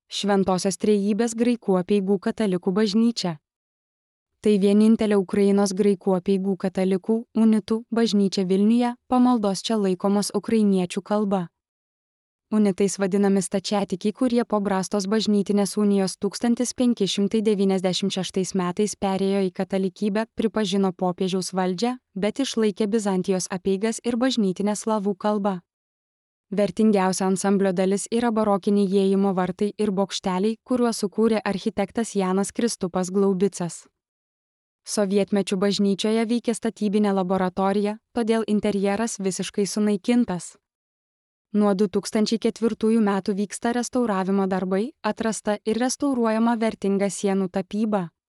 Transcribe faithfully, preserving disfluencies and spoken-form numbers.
Šventosios Trejybės graikų apeigų katalikų bažnyčia. Tai vienintelė Ukrainos graikų apeigų katalikų unitų bažnyčia Vilniuje, pamaldos čia laikomos ukrainiečių kalba. Unitais vadinami stačiatikiai, kurie po Brastos bažnytinės unijos tūkstantis penki šimtai devyniasdešimt šeštais metais perėjo į katalikybę, pripažino popiežiaus valdžią, bet išlaikė Bizantijos apeigas ir bažnytinę slavų kalbą. Vertingiausia ansamblio dalis yra barokiniai įėjimo vartai ir bokšteliai, kuriuos sukūrė architektas Janas Kristupas Glaubicas. Sovietmečių bažnyčioje veikė statybinė laboratorija, todėl interjeras visiškai sunaikintas. Nuo du tūkstančiai ketvirtųjų metų vyksta restauravimo darbai, atrasta ir restauruojama vertinga sienų tapyba.